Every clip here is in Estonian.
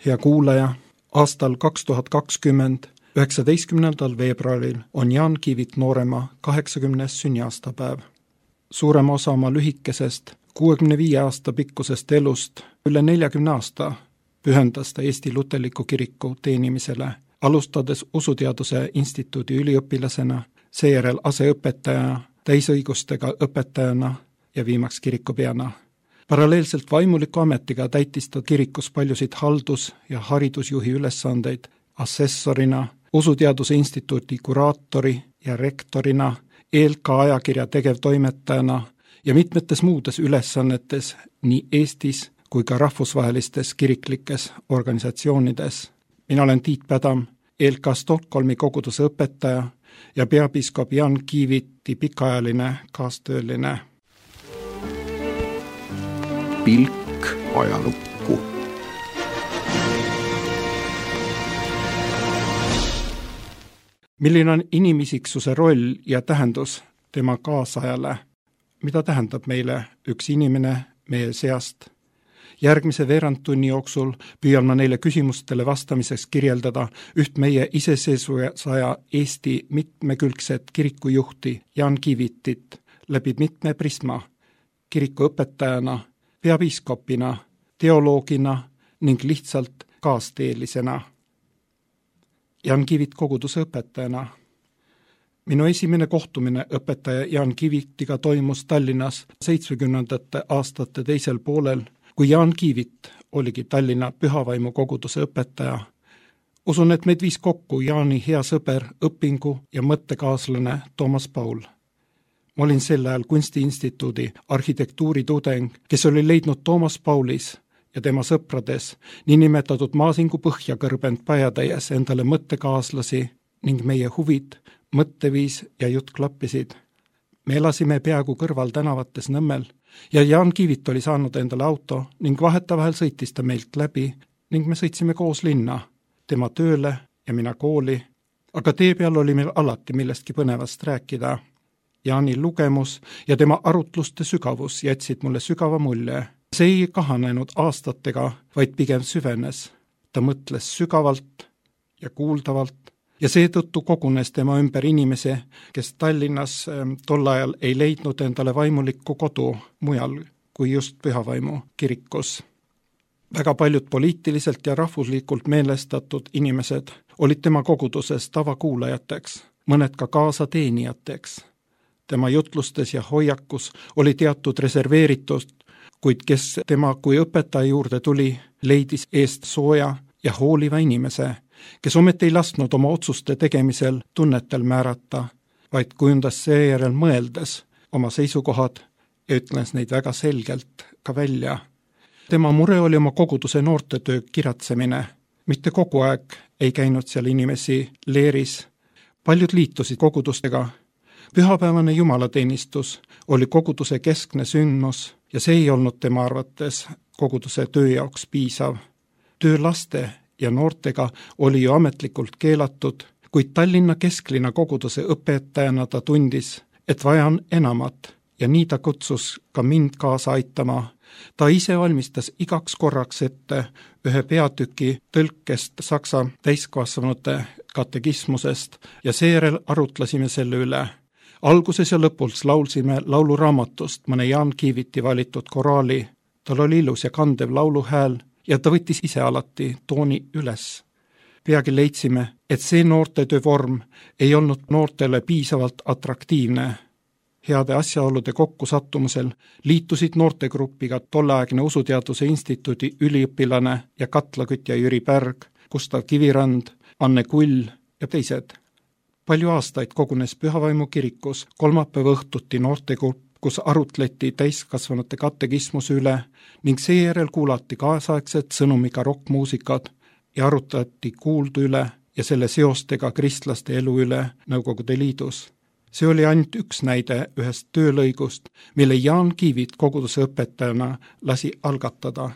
Hea kuulaja, aastal 2020, 19. veebruaril on Jaan Kiivit noorema 80. sünniaastapäev. Suurema osa oma lühikesest 65 aasta pikkusest elust üle 40 aasta pühendas ta Eesti Luterliku Kiriku teenimisele, alustades Usuteaduse Instituudi üliõpilasena, seejärel aseõpetajana, täisõigustega õpetajana ja viimaks kirikupeana. Paralleelselt vaimuliku ametiga täitis ta kirikus paljusid haldus- ja haridusjuhi ülesandeid assessorina, Usuteaduse Instituudi kuraatori ja rektorina, ELK ajakirja tegevtoimetajana ja mitmetes muudes ülesannetes nii Eestis kui ka rahvusvahelistes kiriklikes organisatsioonides. Mina olen Tiit Pädam, ELK Stockholmi koguduse õpetaja ja peapiiskop Jaan Kiiviti pikaajaline kaastööline. Pilk ajalukku. Milline on inimisiksuse roll ja tähendus tema kaasajale? Mida tähendab meile üks inimene meie seast? Järgmise veerandtunni jooksul püüan ma neile küsimustele vastamiseks kirjeldada üht meie iseseisvusaja Eesti mitmekülgset kirikujuhti Jaan Kiivitit läbi mitme prisma, kirikuõpetajana, peapiiskopina, teoloogina ning lihtsalt kaasteelisena. Jaan Kiivit koguduse õpetajana. Minu esimene kohtumine õpetaja Jaan Kiivitiga toimus Tallinnas 70. aastate teisel poolel, kui Jaan Kiivit oligi Tallinna Pühavaimu koguduse õpetaja. Usun, et meid viis kokku Jaani hea sõber, õpingu ja mõttekaaslane Toomas Paul. Ma olin sel ajal Kunstiinstituudi arhitektuuritudeng, kes oli leidnud Toomas Paulis ja tema sõprades niinimetatud Maasingu Põhjakõrbend Pajatäies endale mõttekaaslasi ning meie huvid, mõtteviis ja jutt klappisid. Me elasime peaaegu kõrval tänavates Nõmmel ja Jaan Kiivit oli saanud endale auto ning vahetevahel sõitis ta meilt läbi ning me sõitsime koos linna, tema tööle ja mina kooli, aga tee peal oli meil alati millestki põnevast rääkida. Jaani lugemus ja tema arutluste sügavus jätsid mulle sügava mulje. See ei kahanenud aastatega, vaid pigem süvenes. Ta mõtles sügavalt ja kuuldavalt ja seetõttu kogunes tema ümber inimese, kes Tallinnas tol ajal ei leidnud endale vaimulikku kodu mujal kui just Pühavaimu kirikus. Väga paljud poliitiliselt ja rahvuslikult meelestatud inimesed olid tema koguduses tavakuulajateks, mõned ka kaasateenijateks. Tema jutlustes ja hoiakus oli teatud reserveeritust, kuid kes tema kui õpetaja juurde tuli, leidis eest sooja ja hooliva inimese, kes ometi ei lasknud oma otsuste tegemisel tunnetel määrata, vaid kujundas seejärel mõeldes oma seisukohad ja ütles neid väga selgelt ka välja. Tema mure oli oma koguduse noortetöö kiratsemine. Mitte kogu aeg ei käinud seal inimesi leeris. Paljud liitusid kogudustega. Pühapäevane jumalateenistus oli koguduse keskne sündmus ja see ei olnud tema arvates koguduse töö jaoks piisav. Töö laste ja noortega oli ju ametlikult keelatud, kuid Tallinna kesklinna koguduse õpetajana ta tundis, et vaja on enamat ja nii ta kutsus ka mind kaasa aitama. Ta ise valmistas igaks korraks ette ühe peatüki tõlkest saksa täiskasvanute katekismusest ja seejärel arutlesime selle üle. Alguses ja lõpuks laulsime lauluraamatust mõne Jaan Kiiviti valitud koraali. Tal oli ilus ja kandev lauluhääl ja ta võttis ise alati tooni üles. Peagi leidsime, et see noortetöö vorm ei olnud noortele piisavalt atraktiivne. Heade asjaolude kokkusattumusel liitusid noortegrupiga tolleaegne Usuteaduse Instituudi üliõpilane ja katlakütja Jüri Pärg, Gustav Kivirand, Anne Kull ja teised. Palju aastaid kogunes Pühavaimu kirikus kolmapäeva õhtuti noortegrupp, kus arutleti täiskasvanute katekismuse üle ning seejärel kuulati kaasaegset sõnumiga rokkmuusikat ja arutati kuuldu üle ja selle seostega kristlaste elu üle Nõukogude Liidus. See oli ainult üks näide ühest töölõigust, mille Jaan Kiivit koguduse õpetajana lasi algatada.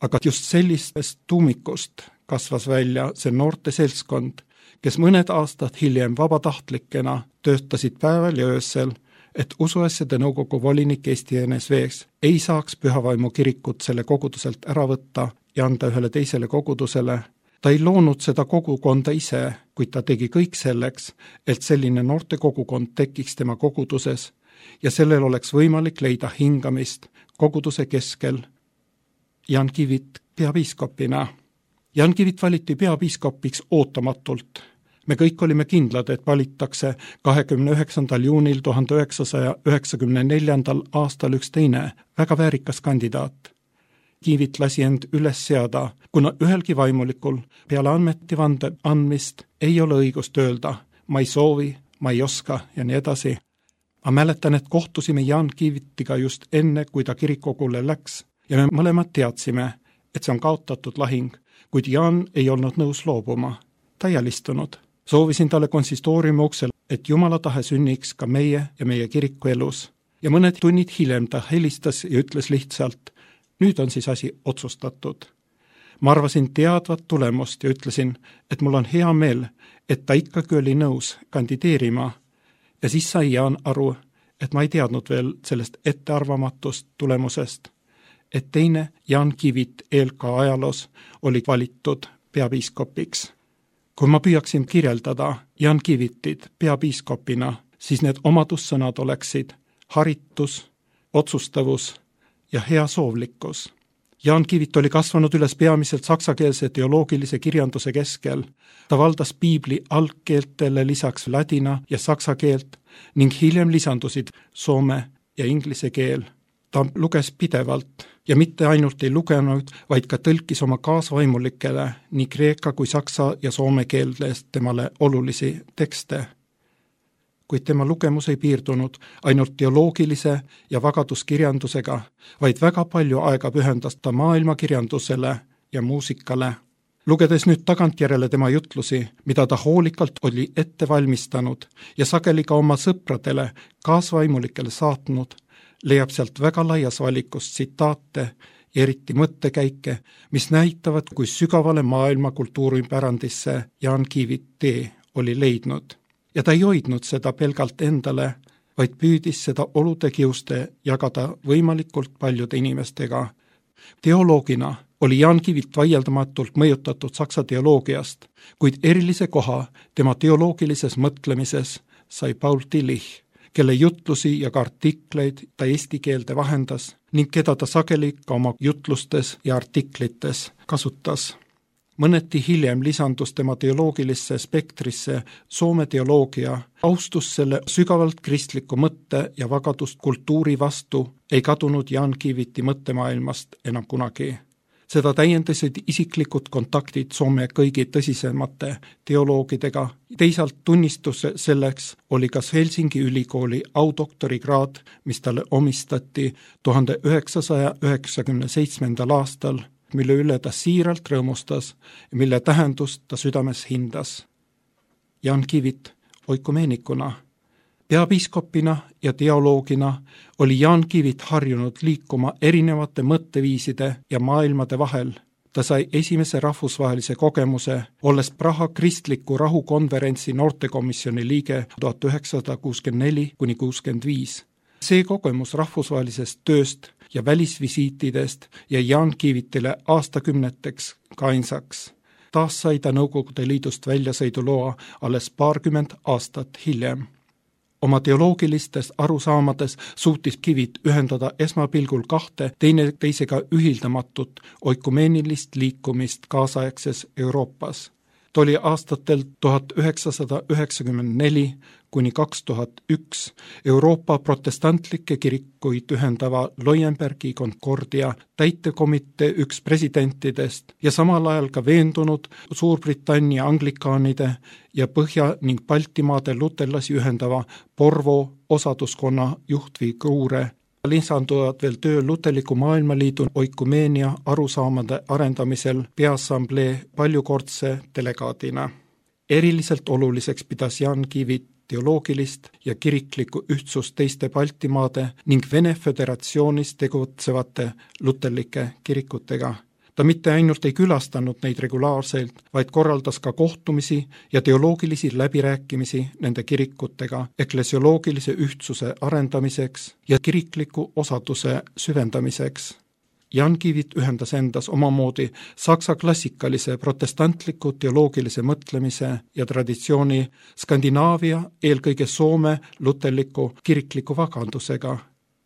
Aga just sellistest tuumikust kasvas välja see noorte seltskond, kes mõned aastad hiljem vabatahtlikena töötasid päeval ja öösel, et usuasjade nõukogu volinik Eesti NSV-ks ei saaks Pühavaimu kirikut selle koguduselt ära võtta ja anda ühele teisele kogudusele. Ta ei loonud seda kogukonda ise, kuid ta tegi kõik selleks, et selline noorte kogukond tekiks tema koguduses ja sellel oleks võimalik leida hingamist koguduse keskel. Jan Kivit peapiiskopina. Jan Kivit valiti peapiiskopiks ootamatult. Me kõik olime kindlad, et valitakse 29. juunil 1994. aastal üks teine, väga väärikas kandidaat. Kivit lasi end üles seada, kuna ühelgi vaimulikul peale ametivande andmist ei ole õigust öelda, ma ei soovi, ma ei oska ja nii edasi. Ma mäletan, et kohtusime Jan Kivitiga just enne, kui ta kirikogule läks ja me mõlemad teadsime, et see on kaotatud lahing, kuid Jan ei olnud nõus loobuma. Ta ei alistunud. Soovisin talle konsistooriumi uksel, et Jumala tahe sünniks ka meie ja meie kiriku elus. Ja mõned tunnid hiljem ta helistas ja ütles lihtsalt, nüüd on siis asi otsustatud. Ma arvasin teadvat tulemust ja ütlesin, et mul on hea meel, et ta ikkagi oli nõus kandideerima. Ja siis sai Jan aru, et ma ei teadnud veel sellest ettearvamatust tulemusest, et teine Jan Kivit ELK ajaloos oli valitud peapiiskopiks. Kui ma püüaksin kirjeldada Jan Kivitit peapiiskopina, siis need omadussõnad oleksid haritus, otsustavus ja hea soovlikkus. Jan Kivit oli kasvanud üles peamiselt saksakeelse teoloogilise kirjanduse keskel. Ta valdas piibli algkeeltele lisaks ladina ja saksa keelt ning hiljem lisandusid soome ja inglise keel. Ta luges pidevalt ja mitte ainult ei lugenud, vaid ka tõlkis oma kaasvaimulikele nii kreeka kui saksa ja soome keelest temale olulisi tekste. Kuid tema lugemus ei piirdunud ainult teoloogilise ja vagaduskirjandusega, vaid väga palju aega pühendas ta maailmakirjandusele ja muusikale. Lugedes nüüd tagantjärele tema jutlusi, mida ta hoolikalt oli ette valmistanud ja sageli ka oma sõpradele, kaasvaimulikele saatnud, leiab sealt väga laias valikus tsitaate ja eriti mõttekäike, mis näitavad, kui sügavale maailma kultuuripärandisse Jan Kivit tee oli leidnud. Ja ta ei hoidnud seda pelgalt endale, vaid püüdis seda olude kiuste jagada võimalikult paljude inimestega. Teoloogina oli Jan Kivit vaieldamatult mõjutatud saksa teoloogiast, kuid erilise koha tema teoloogilises mõtlemises sai Paul Tillich, kelle jutlusi ja ka artikleid ta eesti keelde vahendas ning keda ta sageli ka oma jutlustes ja artiklites kasutas. Mõneti hiljem lisandus tema teoloogilisse spektrisse soome teoloogia, austus selle sügavalt kristliku mõtte ja vagadust kultuuri vastu ei kadunud Jan Kiviti mõttemaailmast enam kunagi. Seda täiendasid isiklikud kontaktid Soome kõigi tõsisemate teoloogidega. Teisalt tunnistus selleks oli kas Helsingi ülikooli audoktorikraad, mis talle omistati 1997. aastal, mille üle ta siiralt rõõmustas ja mille tähendust ta südames hindas. Jan Kivit oikumeenikuna. Peapiiskopina ja teoloogina oli Jan Kivit harjunud liikuma erinevate mõtteviiside ja maailmade vahel. Ta sai esimese rahvusvahelise kogemuse, olles Praha kristliku rahukonverentsi noortekomisjoni liige 1964–65. See kogemus rahvusvahelisest tööst ja välisvisiitidest jäi Jan Kivitile aastakümneteks kainsaks. Taas sai ta Nõukogude Liidust väljasõiduloa alles paarkümmend aastat hiljem. Oma teoloogilistes arusaamades suutis Kivit ühendada esmapilgul kahte teisega ühildamatut oikumeenilist liikumist kaasaegses Euroopas. Ta oli aastatel 1994–2001 Euroopa protestantlikke kirikuid ühendava Leuenbergi Concordia täitekomitee üks presidentidest ja samal ajal ka veendunud Suurbritannia anglikaanide ja Põhja- ning Baltimaade luterlasi ühendava Porvo osaduskonna juhtfiguure. Lisanduvad veel töö Luterliku Maailmaliidu oikumeenia arusaamade arendamisel Peaassamblee paljukordse delegaadina. Eriliselt oluliseks pidas Jan Kivit teoloogilist ja kiriklikku ühtsust teiste Baltimaade ning Vene Föderatsioonis tegutsevate luterlike kirikutega. Ta mitte ainult ei külastanud neid regulaarselt, vaid korraldas ka kohtumisi ja teoloogilisi läbirääkimisi nende kirikutega eklesioloogilise ühtsuse arendamiseks ja kirikliku osaduse süvendamiseks. Jan Kivit ühendas endas omamoodi saksa klassikalise protestantliku teoloogilise mõtlemise ja traditsiooni Skandinaavia, eelkõige Soome luterliku kirikliku vagandusega.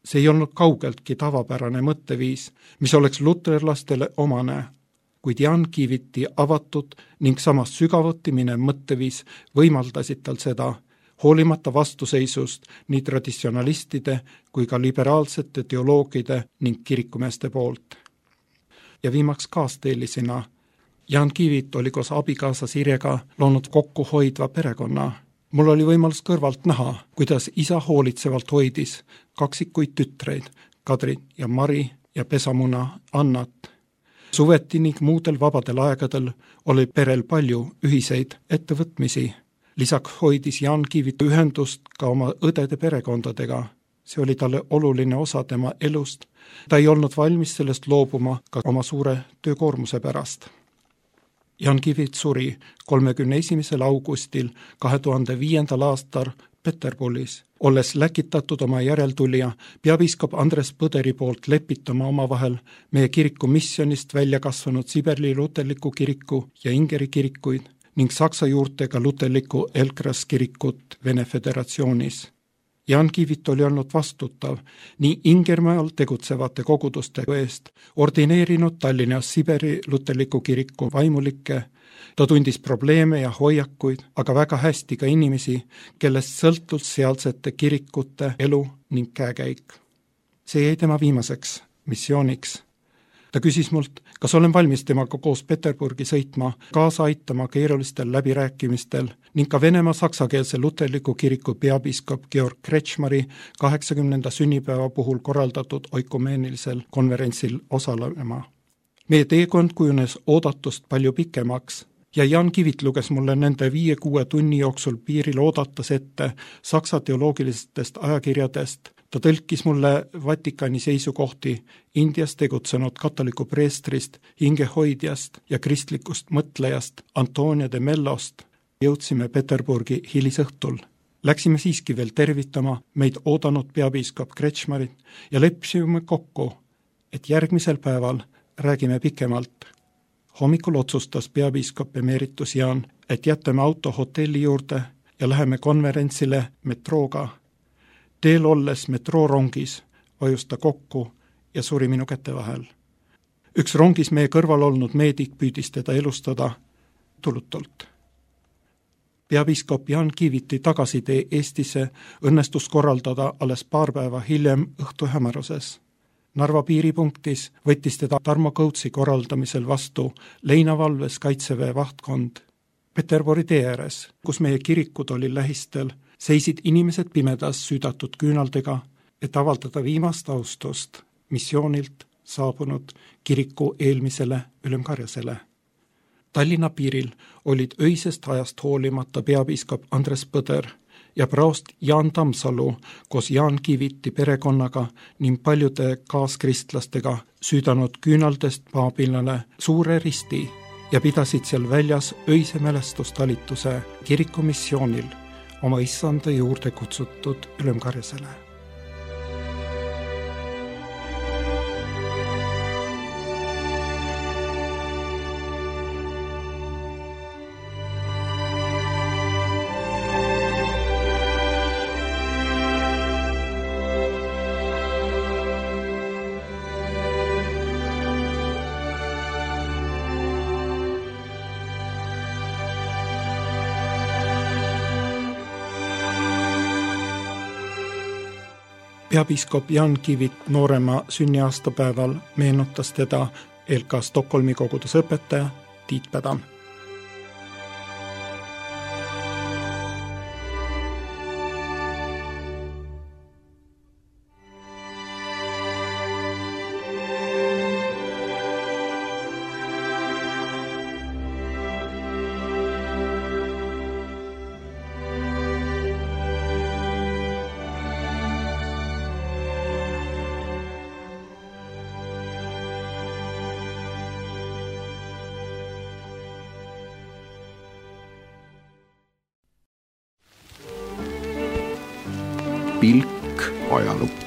See ei olnud kaugeltki tavapärane mõtteviis, mis oleks luterlastele omane, kuid Jan Kiviti avatud ning samas sügavuti minev mõtteviis võimaldasid tal seda, hoolimata vastuseisust nii traditsionalistide kui ka liberaalsete teoloogide ning kirikumeeste poolt. Ja viimaks kaasteelisena, Jan Kivit oli koos abikaasa Sirjega loonud kokku hoidva perekonna. Mul oli võimalus kõrvalt näha, kuidas isa hoolitsevalt hoidis kaksikuid tütreid, Kadri ja Mari ja pesamuna Annat. Suveti ning muudel vabadel aegadel oli perel palju ühiseid ettevõtmisi. Lisaks hoidis Jan Kivit ühendust ka oma õdede perekondadega. See oli talle oluline osa tema elust. Ta ei olnud valmis sellest loobuma ka oma suure töökoormuse pärast. Jan Kivit suri 31. augustil 2005. aastal Peterburis, olles läkitatud oma järeltulija peapiiskop Andres Põderi poolt lepitama omavahel meie kiriku missionist välja kasvanud Siberli luterliku kiriku ja Ingeri kirikuid ning saksa juurtega luterliku Elkras kirikut Vene Föderatsioonis. Jan Kivit oli olnud vastutav nii Ingermaal tegutsevate koguduste eest, ordineerinud Tallinnas Siberi luterliku kiriku vaimulikke, ta tundis probleeme ja hoiakuid, aga väga hästi ka inimesi, kellest sõltus sealsete kirikute elu ning käekäik. See jäi tema viimaseks missiooniks. Ta küsis mult, kas olen valmis temaga koos Peterburgi sõitma, kaasa aitama keerulistel läbirääkimistel ning ka Venemaa saksakeelse luterliku kiriku peapiiskop Georg Kretschmari 80. sünnipäeva puhul korraldatud oikumeenilisel konverentsil osalema. Meie teekond kujunes oodatust palju pikemaks ja Jan Kivit luges mulle nende 5-6 tunni jooksul piiril oodates ette saksa teoloogilistest ajakirjadest. Ta tõlkis mulle Vatikani seisukohti Indias tegutsenud katoliku preestrist, hingehoidjast ja kristlikust mõtlejast Antonio de Mellost. Jõudsime Peterburgi hilisõhtul. Läksime siiski veel tervitama meid oodanud peapiiskop Kretschmarit ja leppisime kokku, et järgmisel päeval räägime pikemalt. Hommikul otsustas peapiiskop emeritus Jan, et jätame auto hotelli juurde ja läheme konverentsile metrooga. Teel olles metroorongis vajus ta kokku ja suri minu käte vahel. Üks rongis meie kõrval olnud meedik püüdis teda elustada tulutult. Peapiiskop Jan Kiviti tagasitee Eestisse õnnestus korraldada alles paar päeva hiljem õhtu hämaruses. Narva piiripunktis võttis teda Tarmo Kõutsi korraldamisel vastu Leinavalves Kaitseväe vahtkond. Peterburi tee ääres, kus meie kirikud oli lähistel, seisid inimesed pimedas süüdatud küünaldega, et avaldada viimast austust missioonilt saabunud kiriku eelmisele ülemkarjasele. Tallinna piiril olid öisest ajast hoolimata peapiiskop Andres Põder ja praost Jaan Tammsalu koos Jan Kiviti perekonnaga ning paljude kaaskristlastega süüdanud küünaldest paabinale suure risti ja pidasid seal väljas öise mälestustalituse kiriku missioonil oma issanda juurde kutsutud ülemkarjasele. Peapiiskop Jan Kivit noorema sünniaastapäeval meenutas teda LK Stockholmi koguduse õpetaja Tiit Pädam. Pilk ajalukku.